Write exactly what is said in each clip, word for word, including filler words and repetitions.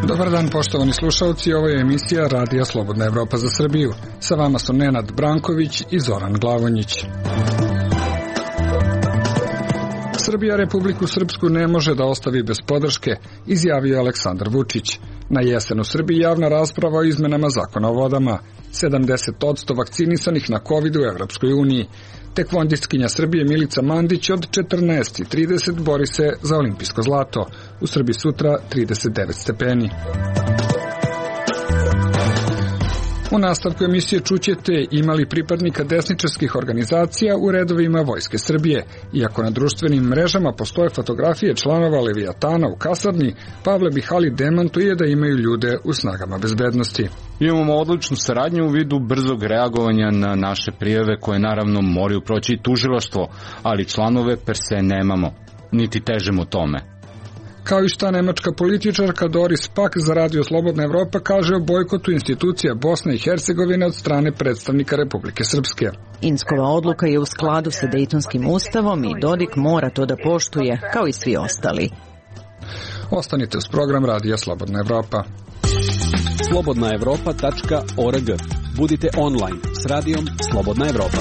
Dobar dan, poštovani slušalci, ovo je emisija Radija Slobodna Evropa za Srbiju. Sa vama su Nenad Branković i Zoran Glavonjić. Srbija Republiku Srpsku ne može da ostavi bez podrške, izjavio je Aleksandar Vučić. Na jesen u Srbiji javna rasprava o izmenama zakona o vodama, sedamdeset posto vakcinisanih na COVID u Evropskoj uniji. Tekvondistkinja Srbije Milica Mandić od četrnaest i trideset bori se za olimpijsko zlato. U Srbiji sutra trideset devet stepeni. U nastavku emisije čućete imali pripadnika desničarskih organizacija u redovima Vojske Srbije. Iako na društvenim mrežama postoje fotografije članova Levijatana u kasarni, Pavle Bihali demantuje da imaju ljude u snagama bezbednosti. Imamo odličnu saradnju u vidu brzog reagovanja na naše prijave koje naravno moraju proći i tužilaštvo, ali članove per se nemamo, niti težemo tome. Kao i šta nemačka političarka Doris Pack za Radio Slobodna Evropa kaže o bojkotu institucija Bosne i Hercegovine od strane predstavnika Republike Srpske. Inckova odluka je u skladu sa Dejtonskim ustavom i Dodik mora to da poštuje, kao i svi ostali. Ostanite uz program Radija Slobodna Evropa. slobodna evropa tačka org. Budite online s Radijom Slobodna Evropa.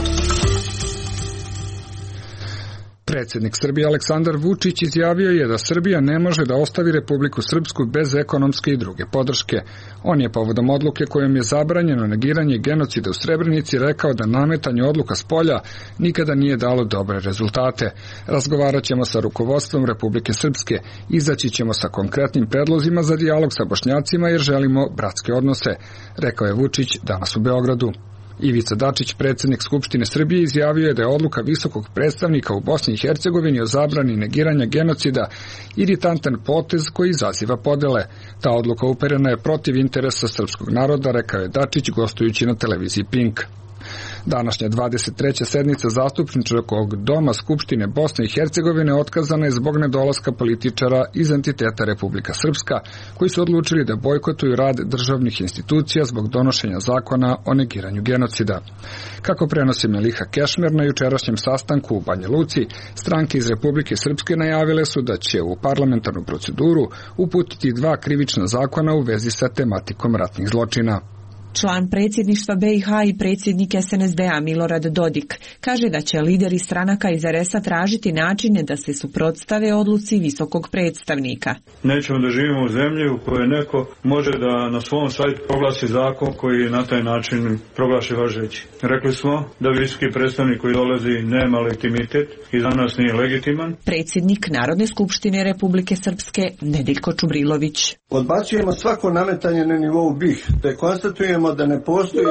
Predsjednik Srbije Aleksandar Vučić izjavio je da Srbija ne može da ostavi Republiku Srpsku bez ekonomske i druge podrške. On je povodom odluke kojom je zabranjeno negiranje genocida u Srebrenici rekao da nametanje odluka s polja nikada nije dalo dobre rezultate. Razgovarat ćemo sa rukovodstvom Republike Srpske, izaći ćemo sa konkretnim predlozima za dijalog sa Bošnjacima jer želimo bratske odnose, rekao je Vučić danas u Beogradu. Ivica Dačić, predsjednik Skupštine Srbije, izjavio je da je odluka visokog predstavnika u Bosni i Hercegovini o zabrani negiranja genocida iritantan potez koji izaziva podele. Ta odluka uperena je protiv interesa srpskog naroda, rekao je Dačić gostujući na televiziji Pink. Današnja dvadeset treća sednica zastupničkog doma Skupštine Bosne i Hercegovine otkazana je zbog nedolaska političara iz entiteta Republika Srpska, koji su odlučili da bojkotuju rad državnih institucija zbog donošenja zakona o negiranju genocida. Kako prenosi Meliha Kešmer, na jučerašnjem sastanku u Banja Luci, stranke iz Republike Srpske najavile su da će u parlamentarnu proceduru uputiti dva krivična zakona u vezi sa tematikom ratnih zločina. Član predsjedništva be i ha i predsjednik es en es de-a Milorad Dodik kaže da će lideri stranaka iz er es-a tražiti načine da se suprotstave odluci visokog predstavnika. Nećemo da živimo u zemlji u kojoj neko može da na svom sajtu proglasi zakon koji na taj način proglasi važeći. Rekli smo da visoki predstavnik koji dolazi nema legitimitet i za nas nije legitiman. Predsjednik Narodne skupštine Republike Srpske Nedeljko Čubrilović. Odbacujemo svako nametanje na nivou be i ha, te konstatujemo da ne postoji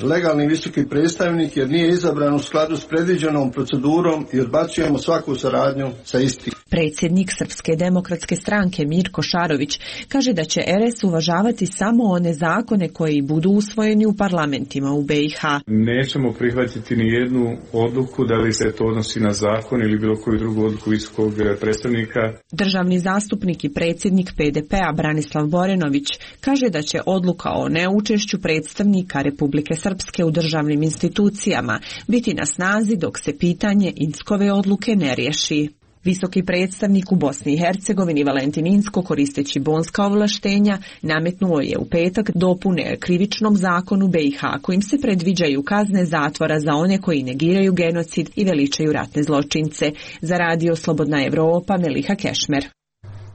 legalni visoki predstavnik jer nije izabran u skladu s predviđenom procedurom i odbacujemo svaku saradnju sa istim. Predsjednik Srpske demokratske stranke Mirko Šarović kaže da će er es uvažavati samo one zakone koji budu usvojeni u parlamentima u be i ha. Nećemo prihvatiti ni jednu odluku, da li se to odnosi na zakon ili bilo koju drugu odluku visokog predstavnika. Državni zastupnik i predsjednik pe de pe-a Branislav Borenović kaže da će odluka o neučešću predstavnika Republike Srpske u državnim institucijama biti na snazi dok se pitanje Inckove odluke ne riješi. Visoki predstavnik u Bosni i Hercegovini Valentin Incko, koristeći bonska ovlaštenja, nametnuo je u petak dopune krivičnom zakonu be i ha kojim se predviđaju kazne zatvora za one koji negiraju genocid i veličaju ratne zločince. Za Radio Slobodna Evropa Meliha Kešmer.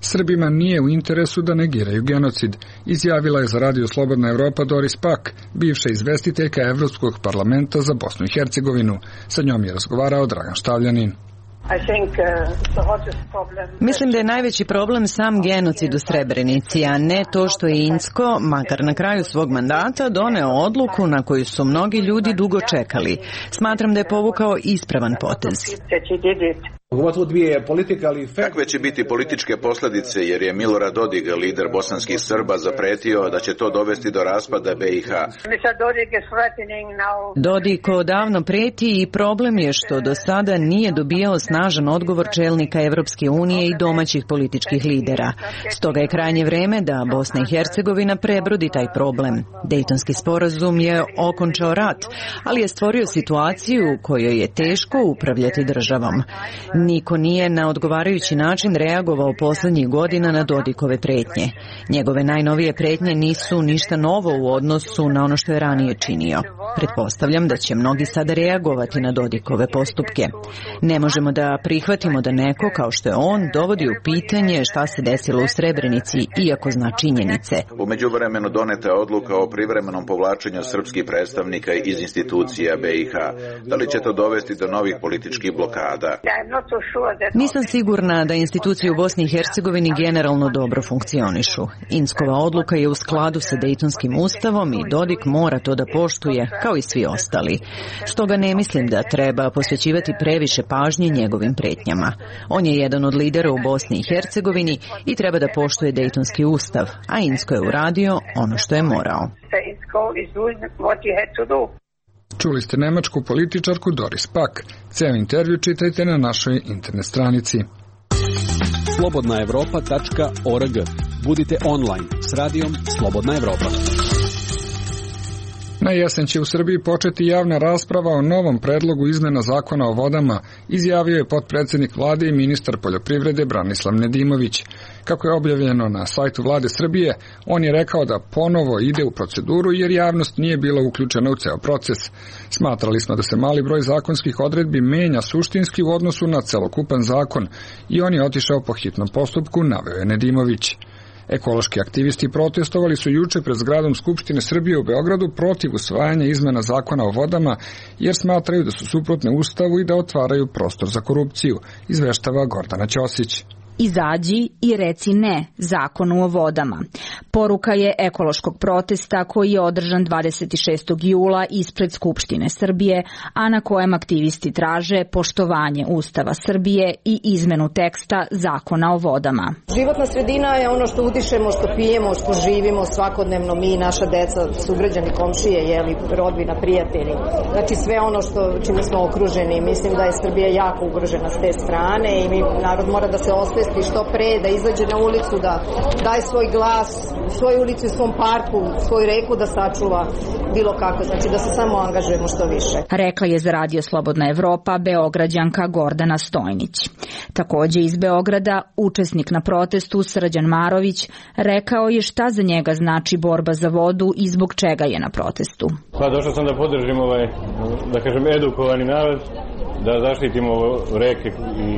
Srbima nije u interesu da negiraju genocid, izjavila je za Radio Slobodna Evropa Doris Pack, bivša izvestiteljka Evropskog parlamenta za Bosnu i Hercegovinu. Sa njom je razgovarao Dragan Štavljanin. Mislim da je najveći problem sam genocid u Srebrenici, a ne to što je Incko, makar na kraju svog mandata, doneo odluku na koju su mnogi ljudi dugo čekali. Smatram da je povukao ispravan potez. Kakve će biti političke posljedice, jer je Milorad Dodik, lider bosanskih Srba, zapretio da će to dovesti do raspada B i H. Dodik odavno preti i problem je što do sada nije dobijao snažan odgovor čelnika Evropske unije i domaćih političkih lidera. Stoga je krajnje vreme da Bosna i Hercegovina prebrodi taj problem. Dejtonski sporazum je okončao rat, ali je stvorio situaciju u kojoj je teško upravljati državom. Niko nije na odgovarajući način reagovao poslednjih godina na Dodikove pretnje. Njegove najnovije pretnje nisu ništa novo u odnosu na ono što je ranije činio. Pretpostavljam da će mnogi sada reagovati na Dodikove postupke. Ne možemo da prihvatimo da neko, kao što je on, dovodi u pitanje šta se desilo u Srebrenici, iako zna činjenice. U međuvremenu doneta je odluka o privremenom povlačenju srpskih predstavnika iz institucija B i H. Da li će to dovesti do novih političkih blokada? Nisam sigurna da institucije u Bosni i Hercegovini generalno dobro funkcionišu. Inckova odluka je u skladu sa Dejtonskim ustavom i Dodik mora to da poštuje, kao i svi ostali. Stoga ne mislim da treba posvećivati previše pažnje njegovim pretnjama. On je jedan od lidera u Bosni i Hercegovini i treba da poštuje Dejtonski ustav, a Incko je uradio ono što je morao. Čuli ste nemačku političarku Doris Pack. Ceo intervju čitajte na našoj internet stranici. slobodna evropa tačka org. Budite online s radijom Slobodna Evropa. Na jesen će u Srbiji početi javna rasprava o novom predlogu izmena zakona o vodama, izjavio je potpredsednik vlade i ministar poljoprivrede Branislav Nedimović. Kako je objavljeno na sajtu vlade Srbije, on je rekao da ponovo ide u proceduru jer javnost nije bila uključena u ceo proces. Smatrali smo da se mali broj zakonskih odredbi menja suštinski u odnosu na celokupan zakon i on je otišao po hitnom postupku, naveo je Nedimović. Ekološki aktivisti protestovali su juče pred zgradom Skupštine Srbije u Beogradu protiv usvajanja izmena zakona o vodama, jer smatraju da su suprotne Ustavu i da otvaraju prostor za korupciju, izveštava Gordana Ćosić. Izađi i reci ne zakonu o vodama. Poruka je ekološkog protesta koji je održan dvadeset šestog jula ispred Skupštine Srbije, a na kojem aktivisti traže poštovanje Ustava Srbije i izmenu teksta zakona o vodama. Životna sredina je ono što udišemo, što pijemo, što živimo svakodnevno mi, naša deca, sugrađani, komšije, jeli, rodbina, prijatelji. Znači sve ono što čime smo okruženi. Mislim da je Srbija jako ugrožena s te strane i mi, narod mora da se osvesti što pre, da izađe na ulicu, da daje svoj glas, u svojoj ulici, u svom parku, svoju reku da sačuva bilo kako, znači da se samo angažujemo što više. Rekla je za Radio Slobodna Evropa Beograđanka Gordana Stojnić. Takođe iz Beograda, učesnik na protestu Srđan Marović rekao je šta za njega znači borba za vodu i zbog čega je na protestu. Pa došao sam da podržim ovaj, da kažem, edukovani narod, da zaštitimo reke i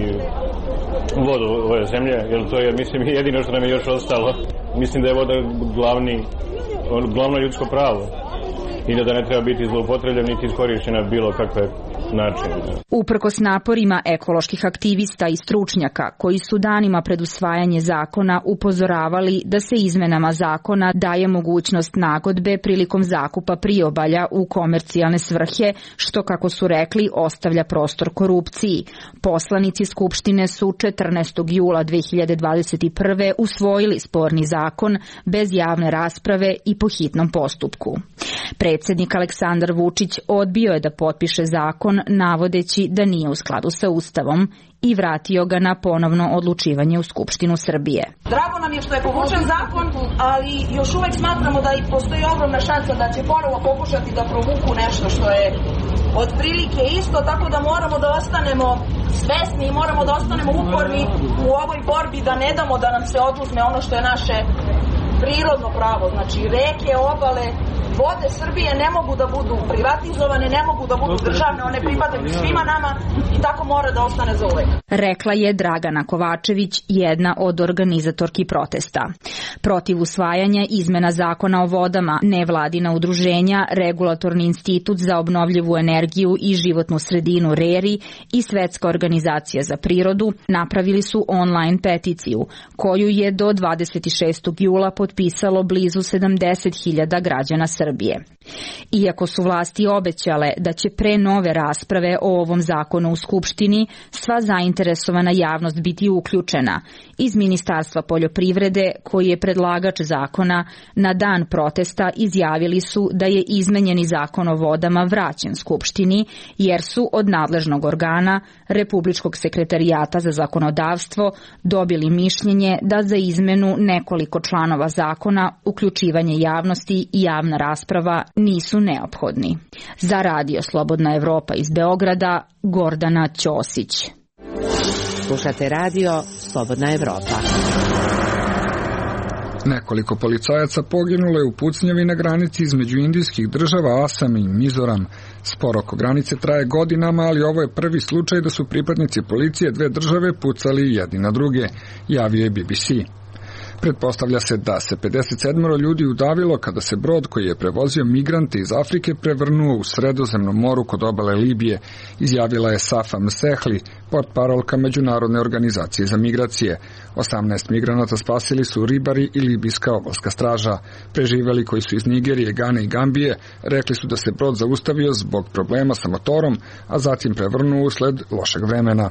vodu ove zemlje, jer to je, mislim, jedino što nam je još ostalo. Mislim da je voda glavni, glavno ljudsko pravo i da ne treba biti zloupotrebljen niti iskorišćena bilo kakve načine. Uprkos naporima ekoloških aktivista i stručnjaka koji su danima pred usvajanje zakona upozoravali da se izmenama zakona daje mogućnost nagodbe prilikom zakupa priobalja u komercijalne svrhe, što, kako su rekli, ostavlja prostor korupciji. Poslanici Skupštine su četrnaestog jula dve hiljade dvadeset prve usvojili sporni zakon bez javne rasprave i po hitnom postupku. Predsjednik Aleksandar Vučić odbio je da potpiše zakon navodeći da nije u skladu sa Ustavom i vratio ga na ponovno odlučivanje u Skupštinu Srbije. Drago nam je što je povučen zakon, ali još uvek smatramo da i postoji ogromna šansa da će ponovo pokušati da provuku nešto što je otprilike isto, tako da moramo da ostanemo svesni i moramo da ostanemo uporni u ovoj borbi, da ne damo da nam se oduzme ono što je naše prirodno pravo, znači reke, obale, vode Srbije ne mogu da budu privatizovane, ne mogu da budu državne, one pripadaju svima nama i tako mora da ostane za uvek. Rekla je Dragana Kovačević, jedna od organizatorki protesta. Protiv usvajanja izmena zakona o vodama, nevladina udruženja, Regulatorni institut za obnovljivu energiju i životnu sredinu RERI i Svetska organizacija za prirodu napravili su online peticiju, koju je do dvadeset šestog jula potpisala potpisalo blizu sedamdeset hiljada građana Srbije. Iako su vlasti obećale da će pre nove rasprave o ovom zakonu u Skupštini sva zainteresovana javnost biti uključena, iz Ministarstva poljoprivrede, koji je predlagač zakona, na dan protesta izjavili su da je izmenjeni zakon o vodama vraćen Skupštini, jer su od nadležnog organa Republičkog sekretarijata za zakonodavstvo dobili mišljenje da za izmenu nekoliko članova zakona, uključivanje javnosti i javna rasprava nisu neophodni. Za Radio Slobodna Evropa iz Beograda, Gordana Ćosić. Slušate Radio Slobodna Evropa. Nekoliko policajaca poginulo je u pucnjavi na granici između indijskih država Asam i Mizoram. Spor oko granice traje godinama, ali ovo je prvi slučaj da su pripadnici policije dve države pucali jedni na druge, javio je B B C. Pretpostavlja se da se pedeset sedam ljudi udavilo kada se brod koji je prevozio migrante iz Afrike prevrnuo u Sredozemnom moru kod obale Libije, izjavila je Safa Msehli, portparolka Međunarodne organizacije za migracije. osamnaest migranata spasili su ribari i libijska obalska straža. Preživeli koji su iz Nigerije, Gane i Gambije rekli su da se brod zaustavio zbog problema sa motorom, a zatim prevrnuo usled lošeg vremena.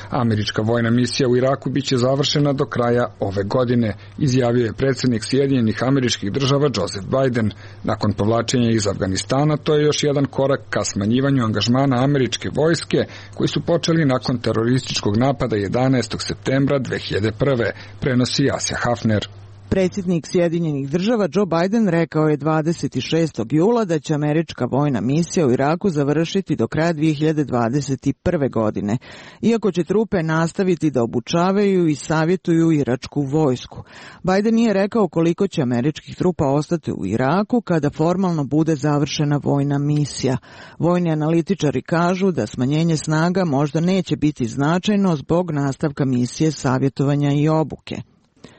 Američka vojna misija u Iraku biće završena do kraja ove godine, izjavio je predsjednik Sjedinjenih Američkih Država Joseph Biden. Nakon povlačenja iz Afganistana, to je još jedan korak ka smanjivanju angažmana američke vojske, koji su počeli nakon terorističkog napada jedanaestog septembra dve hiljade prve, prenosi Asja Hafner. Predsjednik Sjedinjenih Država Joe Biden rekao je dvadeset šestog jula da će američka vojna misija u Iraku završiti do kraja dve hiljade dvadeset prve. godine, iako će trupe nastaviti da obučavaju i savjetuju iračku vojsku. Biden nije rekao koliko će američkih trupa ostati u Iraku kada formalno bude završena vojna misija. Vojni analitičari kažu da smanjenje snaga možda neće biti značajno zbog nastavka misije savjetovanja i obuke.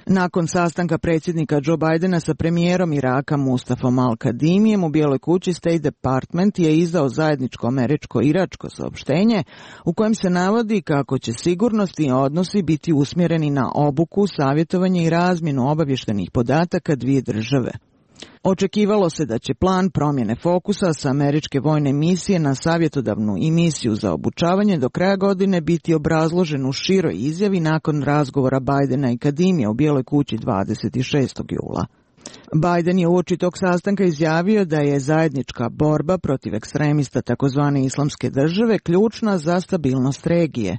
Nakon sastanka predsjednika Joe Bidena sa premijerom Iraka Mustafom Al-Kadimijem u Bijeloj kući, State Department je izdao zajedničko američko-iračko saopštenje u kojem se navodi kako će sigurnosni odnosi biti usmjereni na obuku, savjetovanje i razmjenu obavještajnih podataka dvije države. Očekivalo se da će plan promjene fokusa sa američke vojne misije na savjetodavnu i misiju za obučavanje do kraja godine biti obrazložen u široj izjavi nakon razgovora Bidena i Kadimija u Bijeloj kući dvadeset šestog jula. Biden je uoči tog sastanka izjavio da je zajednička borba protiv ekstremista takozvane islamske države ključna za stabilnost regije.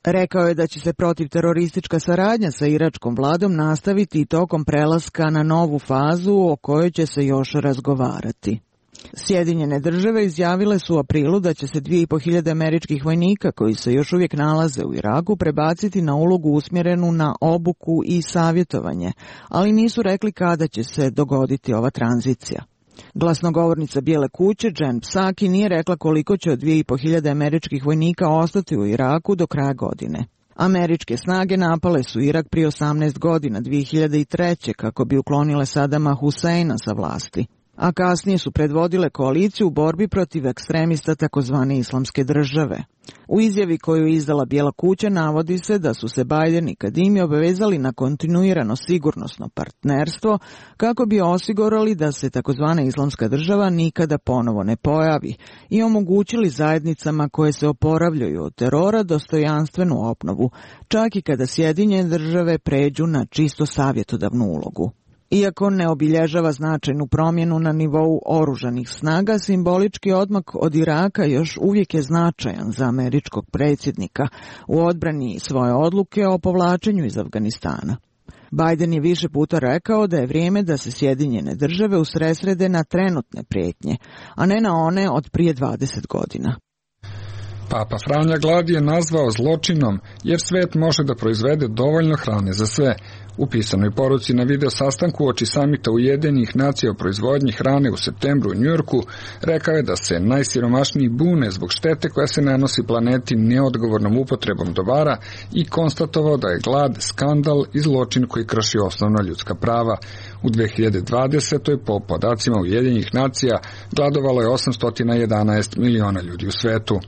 Rekao je da će se protivteroristička saradnja sa iračkom vladom nastaviti i tokom prelaska na novu fazu o kojoj će se još razgovarati. Sjedinjene države izjavile su u aprilu da će se dvije i po hiljade američkih vojnika koji se još uvijek nalaze u Iraku prebaciti na ulogu usmjerenu na obuku i savjetovanje, ali nisu rekli kada će se dogoditi ova tranzicija. Glasnogovornica Bijele kuće Jen Psaki nije rekla koliko će od dvije i po hiljade američkih vojnika ostati u Iraku do kraja godine. Američke snage napale su Irak prije osamnaest godina, dvije hiljade treće. kako bi uklonile Sadama Huseina sa vlasti, a kasnije su predvodile koaliciju u borbi protiv ekstremista takozvane islamske države. U izjavi koju je izdala Bijela kuća navodi se da su se Biden i Kadimi obavezali na kontinuirano sigurnosno partnerstvo kako bi osigurali da se takozvana islamska država nikada ponovo ne pojavi i omogućili zajednicama koje se oporavljaju od terora dostojanstvenu obnovu, čak i kada Sjedinjene države pređu na čisto savjetodavnu ulogu. Iako ne obilježava značajnu promjenu na nivou oružanih snaga, simbolički odmak od Iraka još uvijek je značajan za američkog predsjednika u odbrani svoje odluke o povlačenju iz Afganistana. Biden je više puta rekao da je vrijeme da se Sjedinjene države usredsrede na trenutne prijetnje, a ne na one od prije dvadeset godina. Papa Franja glad je nazvao zločinom, jer svet može da proizvede dovoljno hrane za sve. U pisanoj poruci na video sastanku uoči samita Ujedinjenih nacija o proizvodnji hrane u septembru u Njujorku rekao je da se najsiromašniji bune zbog štete koja se nanosi planeti neodgovornom upotrebom dobara i konstatovao da je glad skandal i zločin koji krši osnovna ljudska prava. U dve hiljade dvadesetoj. po podacima Ujedinjenih nacija gladovalo je osamsto jedanaest miliona ljudi u svetu.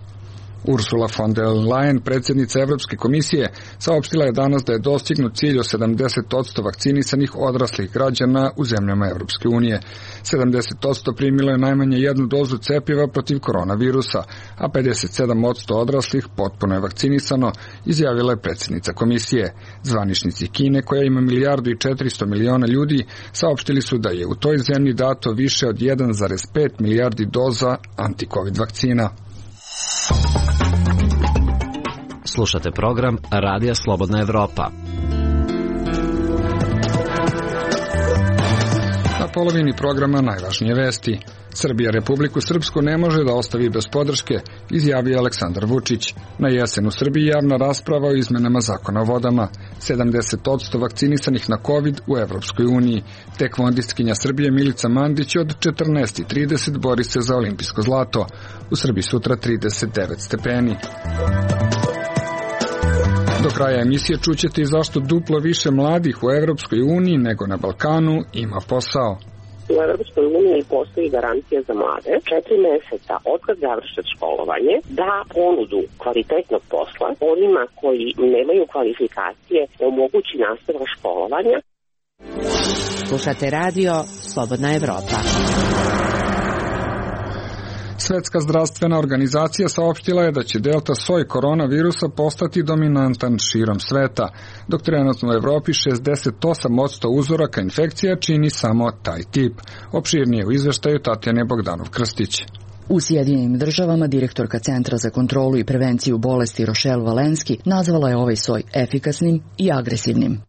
Ursula von der Leyen, predsjednica Evropske komisije, saopštila je danas da je dostignut cilj od sedamdeset posto vakcinisanih odraslih građana u zemljama Evropske unije. sedamdeset posto primilo je najmanje jednu dozu cepiva protiv koronavirusa, a pedeset sedam posto odraslih potpuno je vakcinisano, izjavila je predsjednica komisije. Zvaničnici Kine, koja ima milijardu i četiristo miliona ljudi, saopštili su da je u toj zemlji dato više od jedan zarez pet milijardi doza anti-covid vakcina. Slušate program Radija Slobodna Evropa. Na polovini programa najvažnije vesti. Srbija Republiku Srpsku ne može da ostavi bez podrške, izjavio Aleksandar Vučić. Na jesen u Srbiji javna rasprava o izmenama zakona o vodama. sedamdeset posto vakcinisanih na COVID u Evropskoj uniji. Tekvondistkinja Srbije Milica Mandić od četrnaest i trideset bori se za olimpijsko zlato. U Srbiji sutra trideset devet stepeni. Do kraja emisije čućete i zašto duplo više mladih u Evropskoj uniji nego na Balkanu ima posao. U Evropskoj uniji postoji garancija za mlade, četiri meseca otkad završe školovanje, da ponudu kvalitetnog posla onima koji nemaju kvalifikacije omogući nastavak školovanja. Slušate radio Slobodna Evropa. Svetska zdravstvena organizacija saopštila je da će delta soj koronavirusa postati dominantan širom sveta, dok trenutno u Evropi šezdeset osam posto uzoraka infekcija čini samo taj tip. Opširnije u izveštaju Tatjane Bogdanov-Krstić. U Sjedinjenim državama direktorka Centra za kontrolu i prevenciju bolesti Rochelle Walensky nazvala je ovaj soj efikasnim i agresivnim.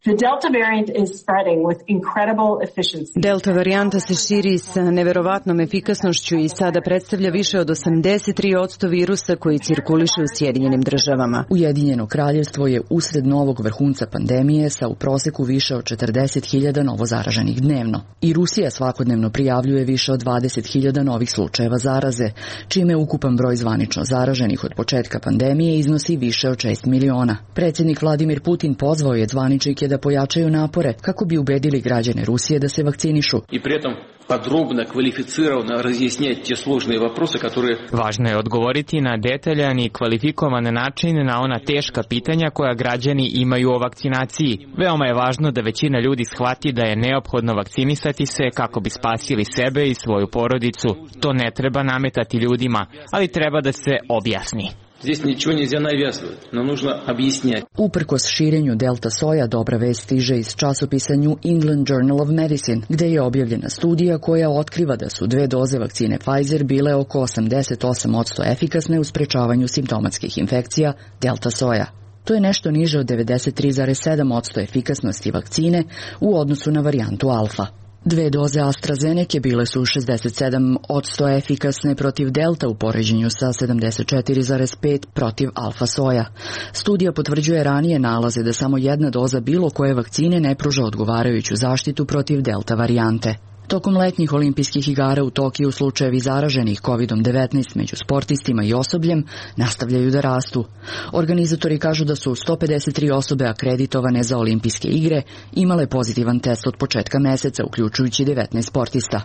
Delta varijanta se širi sa neverovatnom efikasnošću i sada predstavlja više od osamdeset tri posto virusa koji cirkuliše u Sjedinjenim državama. Ujedinjeno kraljevstvo je usred novog vrhunca pandemije sa u proseku više od četrdeset hiljada novozaraženih dnevno. I Rusija svakodnevno prijavljuje više od dvadeset hiljada novih slučajeva zaraze, čime ukupan broj zvanično zaraženih od početka pandemije iznosi više od šest miliona. Predsjednik Vladimir Putin pozvao je zvaničnike da pojačaju napore kako bi ubedili građane Rusije da se vakcinišu. I pritom podrobno, kvalificirano razjasniti te složene vопросы, которые... Važno je odgovoriti na detaljan i kvalifikovan način na ona teška pitanja koja građani imaju o vakcinaciji. Veoma je važno da većina ljudi shvati da je neophodno vakcinisati se kako bi spasili sebe i svoju porodicu. To ne treba nametati ljudima, ali treba da se objasni. Здесь ничего нельзя навязывать, но нужно объяснять. Uprkos širenju delta soja, dobra vest stiže iz časopisa New England Journal of Medicine, gde je objavljena studija koja otkriva da su dve doze vakcine Pfizer bile oko osamdeset osam posto efikasne u sprečavanju simptomatskih infekcija delta soja. To je nešto niže od devedeset tri zarez sedam posto efikasnosti vakcine u odnosu na varijantu alfa. Dve doze AstraZeneca bile su šezdeset sedam posto efikasne protiv delta u poređenju sa sedamdeset četiri zarez pet protiv alfa soja. Studija potvrđuje ranije nalaze da samo jedna doza bilo koje vakcine ne pruža odgovarajuću zaštitu protiv delta varijante. Tokom letnjih olimpijskih igara u Tokiju slučajevi zaraženih kovid devetnaest među sportistima i osobljem nastavljaju da rastu. Organizatori kažu da su sto pedeset tri osobe akreditovane za olimpijske igre imale pozitivan test od početka meseca, uključujući devetnaest sportista.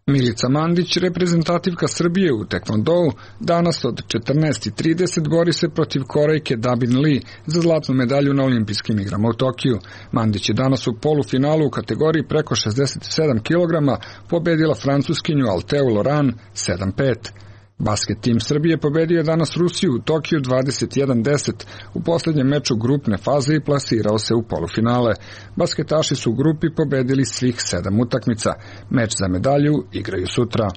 Milica Mandić, reprezentativka Srbije u tekvondou, danas od četrnaest i trideset bori se protiv Korejke Dabin Lee za zlatnu medalju na olimpijskim igrama u Tokiju. Mandić je danas u polufinalu u kategoriji preko šezdeset sedam kilograma pobedila francuskinju Alteu Loran sedam pet. Basket tim Srbije pobedio je danas Rusiju u Tokiju dvadeset jedan deset u posljednjem meču grupne faze i plasirao se u polufinale. Basketaši su u grupi pobedili svih sedam utakmica. Meč za medalju igraju sutra.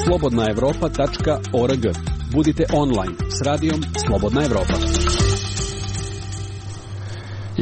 slobodna evropa tačka org. Budite online s radijom Slobodna Evropa.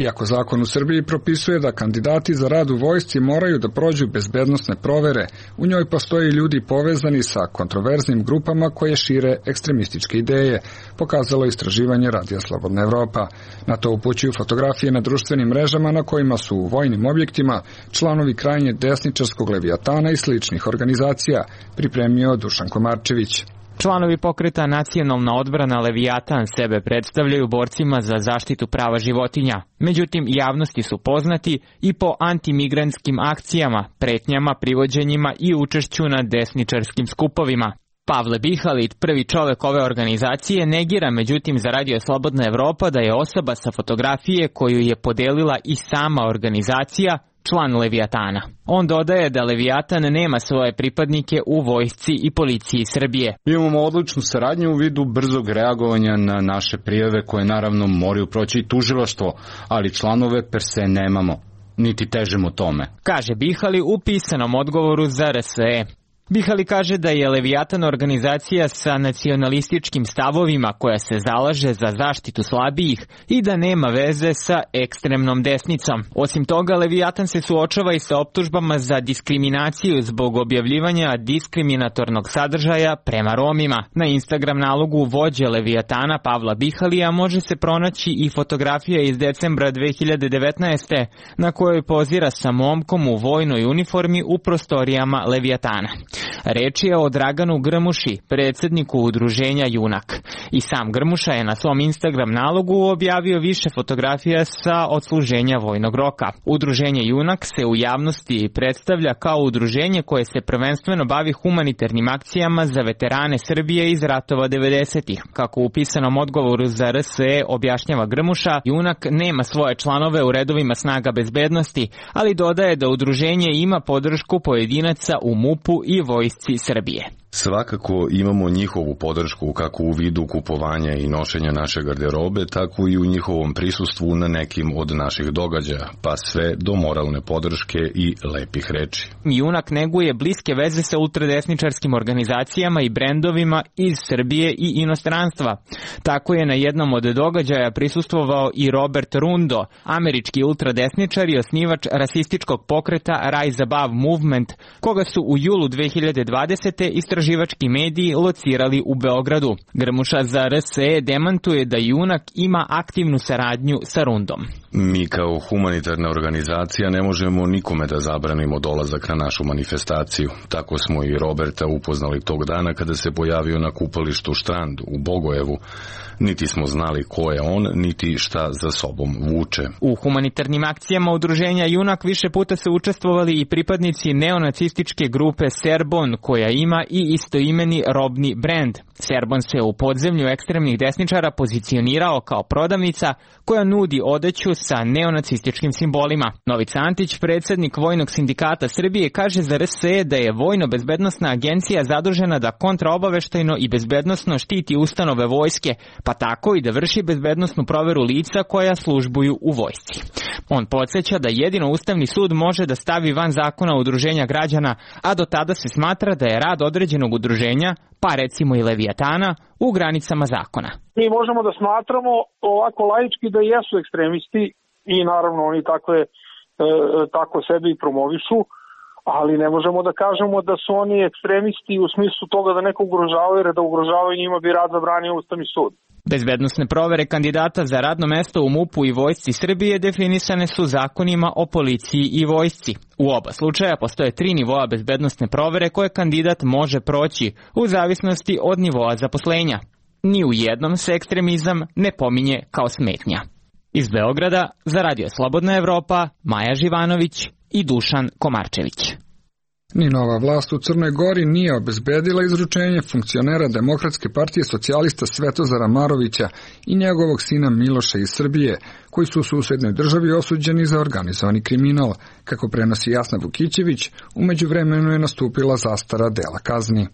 Iako zakon u Srbiji propisuje da kandidati za rad u vojsci moraju da prođu bezbednosne provere, u njoj postoje ljudi povezani sa kontroverznim grupama koje šire ekstremističke ideje, pokazalo je istraživanje Radija Slobodna Evropa. Na to upućuju fotografije na društvenim mrežama na kojima su u vojnim objektima članovi krajnje desničarskog Levijatana i sličnih organizacija, pripremio Dušan Komarčević. Članovi pokreta Nacionalna odbrana Levijatan sebe predstavljaju borcima za zaštitu prava životinja. Međutim, javnosti su poznati i po antimigrantskim akcijama, pretnjama, privođenjima i učešću na desničarskim skupovima. Pavle Bihalit, prvi čovek ove organizacije, negira međutim za Radio Slobodna Evropa da je osoba sa fotografije koju je podelila i sama organizacija član Leviatana. On dodaje da Leviatan nema svoje pripadnike u vojsci i policiji Srbije. Imamo odličnu saradnju u vidu brzog reagovanja na naše prijave koje naravno moraju proći i tužilaštvo, ali članove per se nemamo, niti težimo tome, kaže Bihali u pisanom odgovoru za R S E. Bihali kaže da je Leviatan organizacija sa nacionalističkim stavovima koja se zalaže za zaštitu slabijih i da nema veze sa ekstremnom desnicom. Osim toga, Leviatan se suočava i sa optužbama za diskriminaciju zbog objavljivanja diskriminatornog sadržaja prema Romima. Na Instagram nalogu vođe Leviatana Pavla Bihalija može se pronaći i fotografija iz decembra dve hiljade devetnaeste. na kojoj pozira sa momkom u vojnoj uniformi u prostorijama Leviatana. Reč je o Draganu Grmuši, predsjedniku udruženja Junak. I sam Grmuša je na svom Instagram nalogu objavio više fotografija sa odsluženja vojnog roka. Udruženje Junak se u javnosti predstavlja kao udruženje koje se prvenstveno bavi humanitarnim akcijama za veterane Srbije iz ratova devedesetih. Kako u pisanom odgovoru za R S E objašnjava Grmuša, Junak nema svoje članove u redovima snaga bezbednosti, ali dodaje da udruženje ima podršku pojedinaca u MUP-u i vojsci Srbije. Svakako imamo njihovu podršku kako u vidu kupovanja i nošenja naše garderobe, tako i u njihovom prisustvu na nekim od naših događaja, pa sve do moralne podrške i lepih reči. Junak neguje bliske veze sa ultradesničarskim organizacijama i brendovima iz Srbije i inostranstva. Tako je na jednom od događaja prisustvovao i Robert Rundo, američki ultradesničar i osnivač rasističkog pokreta Rise Above Movement, koga su u julu dve hiljade dvadesete istraživački mediji locirali u Beogradu. Grmuša za R S E demantuje da Junak ima aktivnu saradnju sa Rundom. Mi kao humanitarna organizacija ne možemo nikome da zabranimo dolazak na našu manifestaciju. Tako smo i Roberta upoznali tog dana kada se pojavio na kupalištu Štrand u Bogojevu. Niti smo znali ko je on, niti šta za sobom vuče. U humanitarnim akcijama udruženja Junak više puta su učestvovali i pripadnici neonacističke grupe Serbon, koja ima i istoimeni robni brend. Serbon se u podzemlju ekstremnih desničara pozicionirao kao prodavnica koja nudi odeću sa neonacističkim simbolima. Novica Antić, predsjednik Vojnog sindikata Srbije, kaže za R S E da je Vojno-bezbednosna agencija zadužena da kontraobaveštajno i bezbednosno štiti ustanove vojske, pa tako i da vrši bezbednosnu proveru lica koja službuju u vojsci. On podsjeća da jedino Ustavni sud može da stavi van zakona udruženja građana, a do tada se smatra da je rad određenog udruženja, pa recimo i Leviatana, u granicama zakona. Mi možemo da smatramo ovako laički da jesu ekstremisti i naravno oni takve, e, tako sebe i promovišu, ali ne možemo da kažemo da su oni ekstremisti u smislu toga da neko ugrožavaju, jer da ugrožavaju njima bi rad zabranio Ustavni sud. Bezbednosne provere kandidata za radno mesto u MUP-u i vojsci Srbije definisane su zakonima o policiji i vojsci. U oba slučaja postoje tri nivoa bezbednosne provere koje kandidat može proći u zavisnosti od nivoa zaposlenja. Ni u jednom se ekstremizam ne pominje kao smetnja. Iz Beograda za Radio Slobodna Evropa, Maja Živanović i Dušan Komarčević. Ni nova vlast u Crnoj Gori nije obezbedila izručenje funkcionera Demokratske partije socijalista Svetozara Marovića i njegovog sina Miloša iz Srbije, koji su u susednoj državi osuđeni za organizovani kriminal. Kako prenosi Jasna Vukićević, u međuvremenu je nastupila zastara dela kazni.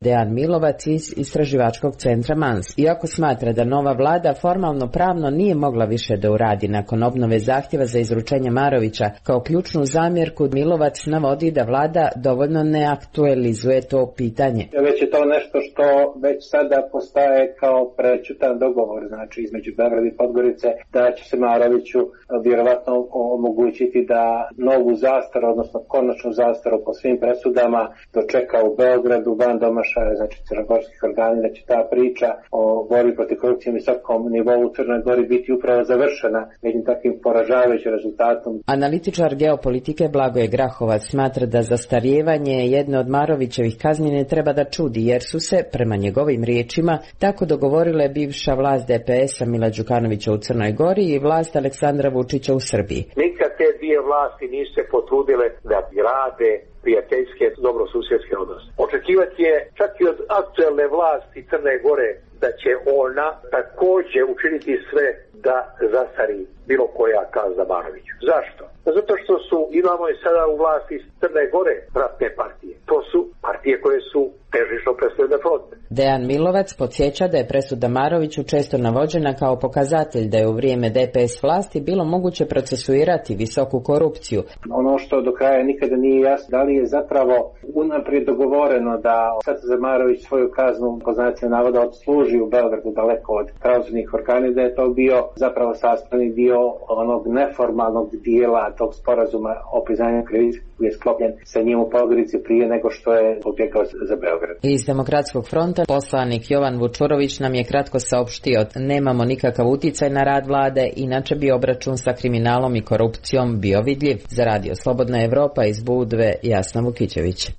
Dejan Milovac iz Istraživačkog centra Mans. Iako smatra da nova vlada formalno pravno nije mogla više da uradi nakon obnove zahtjeva za izručenje Marovića, kao ključnu zamjerku Milovac navodi da vlada dovoljno ne aktualizuje to pitanje. Već je to nešto što već sada postaje kao prećutan dogovor, znači između Beograda i Podgorice, da će se Maroviću vjerovatno omogućiti da novu zastaru, odnosno konačnu zastaru po svim presudama dočeka u Beogradu, van domašaja, znači crnogorskih organi, da će ta priča o borbi protiv korupcije na visokom nivou u Crnoj Gori biti upravo završena jednim takvim poražavajućim rezultatom. Analitičar geopolitike Blagoje Grahovac smatra da zastarijevanje jedne od Marovićevih kazni ne treba da čudi, jer su se, prema njegovim riječima, tako dogovorile bivša vlast D P S-a Mila Đukanovića u Crnoj Gori i vlast Aleksandra Vučića u Srbiji. Nikad te dvije starije vlasti nisu se potrudile da grade prijateljske, dobrosusjedske odnose. Očekivati je čak i od aktuelne vlasti Crne Gore da će ona također učiniti sve da zastari bilo koja kazna Banoviću. Zašto? Zato što su, imamo i sada u vlasti Crne Gore ratne partije. To su partije koje su težišno predsjedne fronte. Dejan Milovac podsjeća da je presuda Maroviću često navođena kao pokazatelj da je u vrijeme D P S vlasti bilo moguće procesuirati visoku korupciju. Ono što do kraja nikada nije jasno, da li je zapravo unaprijed dogovoreno da sad Marović svoju kaznu po znacima navoda odsluži u Beogradu daleko od pravosudnih organa, da je to bio zapravo sastavni dio onog neformalnog dijela tog sporazuma o priznanju krivice koji je sklopljen sa njim u Podgorici prije nego što je pobjegao za Beograd. Iz Demokratskog fronta poslanik Jovan Vučurović nam je kratko saopštio: nemamo nikakav uticaj na rad vlade, inače bi obračun sa kriminalom i korupcijom bio vidljiv. Za Radio Slobodna Evropa iz Budve, Jasna Vukićević.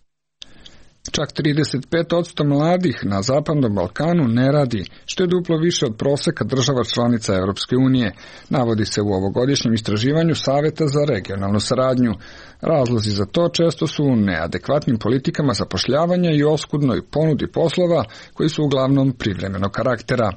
Čak trideset pet posto mladih na Zapadnom Balkanu ne radi, što je duplo više od proseka država članica Europske unije, navodi se u ovogodišnjem istraživanju Saveta za regionalnu saradnju. Razlozi za to često su u neadekvatnim politikama zapošljavanja i oskudnoj ponudi poslova koji su uglavnom privremenog karaktera.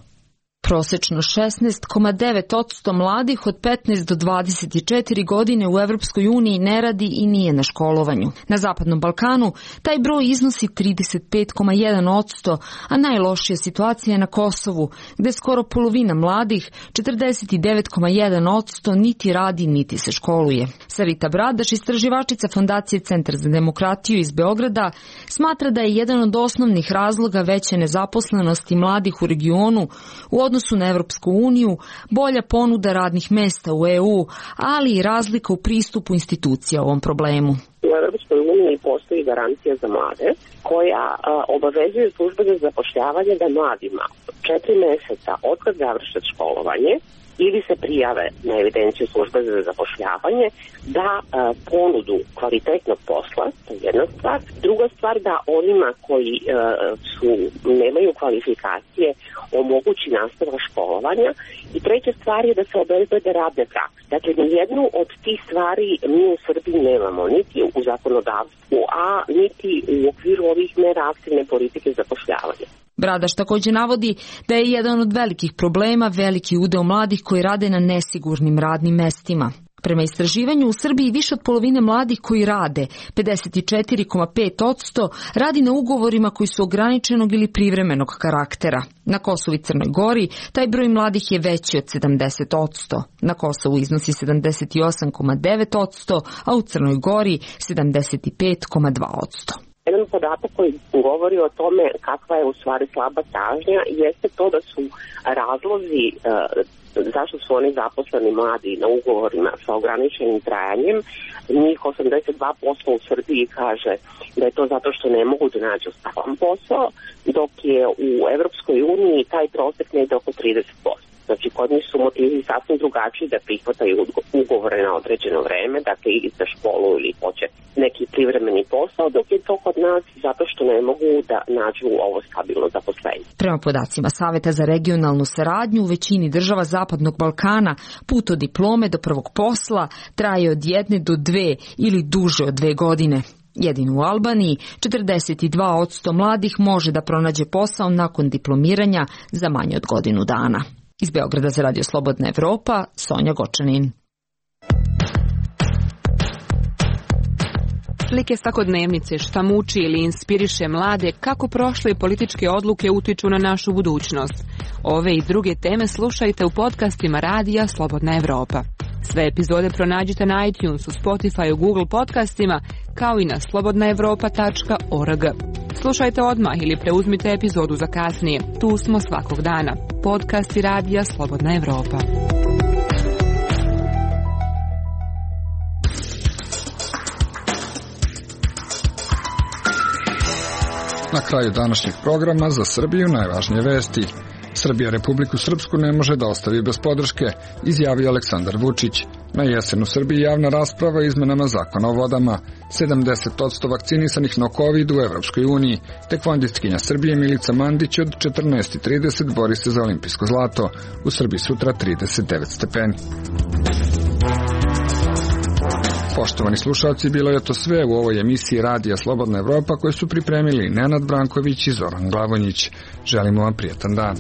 Prosečno šesnaest zarez devet posto mladih od petnaest do dvadeset četiri godine u Evropskoj uniji ne radi i nije na školovanju. Na Zapadnom Balkanu taj broj iznosi trideset pet zarez jedan posto, a najlošija situacija je na Kosovu, gde skoro polovina mladih, četrdeset devet zarez jedan posto, niti radi, niti se školuje. Sarita Bradaš, istraživačica Fondacije Centar za demokratiju iz Beograda, smatra da je jedan od osnovnih razloga veće nezaposlenosti mladih u regionu u odnosu na Evropsku uniju bolja ponuda radnih mesta u E U, ali i razlika u pristupu institucija ovom problemu. U Evropskoj uniji postoji garancija za mlade koja a, obavezuje službe za zapošljavanje da mladima četiri meseca od kad završe školovanje ili se prijave na evidenciju službe za zapošljavanje da a, ponudu kvalitetnog posla, to je jedna stvar. Druga stvar, da onima koji a, su, nemaju kvalifikacije omogući nastavak školovanja. I treća stvar je da se obezbede radne prakse. Dakle, nijednu od tih stvari mi u Srbiji nemamo, niti u zakonodavstvu, a niti u okviru ovih mera aktivne politike zapošljavanja. Bradaš također navodi da je jedan od velikih problema veliki udeo mladih koji rade na nesigurnim radnim mestima. Prema istraživanju, u Srbiji više od polovine mladih koji rade, pedeset četiri zarez pet posto, radi na ugovorima koji su ograničenog ili privremenog karaktera. Na Kosovu i Crnoj Gori taj broj mladih je veći od sedamdeset posto. Na Kosovu iznosi sedamdeset osam zarez devet posto, a u Crnoj Gori sedamdeset pet zarez dva posto. Jedan podatak koji govori o tome kakva je u stvari slaba tražnja jeste to da su razlozi e, zašto su oni zaposleni mladi na ugovorima sa ograničenim trajanjem. Njih osamdeset dva posto u Srbiji kaže da je to zato što ne mogu da nađu stalan posao, dok je u Evropskoj uniji taj prosek ne ide oko trideset posto. Znači, kod njih su motivi sasvim drugačiji da prihvataju ugovore na određeno vreme, dakle ili za školu ili hoće neki privremeni posao, dok je to kod nas zato što ne mogu da nađu ovo stabilno zaposlenje. Prema podacima Saveta za regionalnu saradnju, u većini država Zapadnog Balkana put od diplome do prvog posla traje od jedne do dve ili duže od dve godine. Jedino u Albaniji četrdeset dva posto mladih može da pronađe posao nakon diplomiranja za manje od godinu dana. Iz Beograda za Radio Slobodna Evropa, Sonja Gočanin. Slike svakodnevnice, šta muči ili inspiriše mlade, kako prošle političke odluke utiču na našu budućnost. Ove i druge teme slušajte u podcastima Radija Slobodna Evropa. Sve epizode pronađite na iTunesu, Spotifyu, Google podcastima, kao i na slobodna evropa tačka org. Slušajte odmah ili preuzmite epizodu za kasnije. Tu smo svakog dana. Podcasti Radija Slobodna Evropa. Na kraju današnjeg programa za Srbiju najvažnije vesti. Srbija Republiku Srpsku ne može da ostavi bez podrške, izjavio Aleksandar Vučić. Na jesen u Srbiji javna rasprava o izmenama zakona o vodama. sedamdeset posto vakcinisanih na kovid u Evropskoj uniji. Tekvondistkinja Srbije Milica Mandić od četrnaest i trideset bori se za olimpijsko zlato. U Srbiji sutra trideset devet stepeni. Poštovani slušalci, bilo je to sve u ovoj emisiji Radija Slobodna Evropa koju su pripremili Nenad Branković i Zoran Glavonjić. Želimo vam prijetan dan.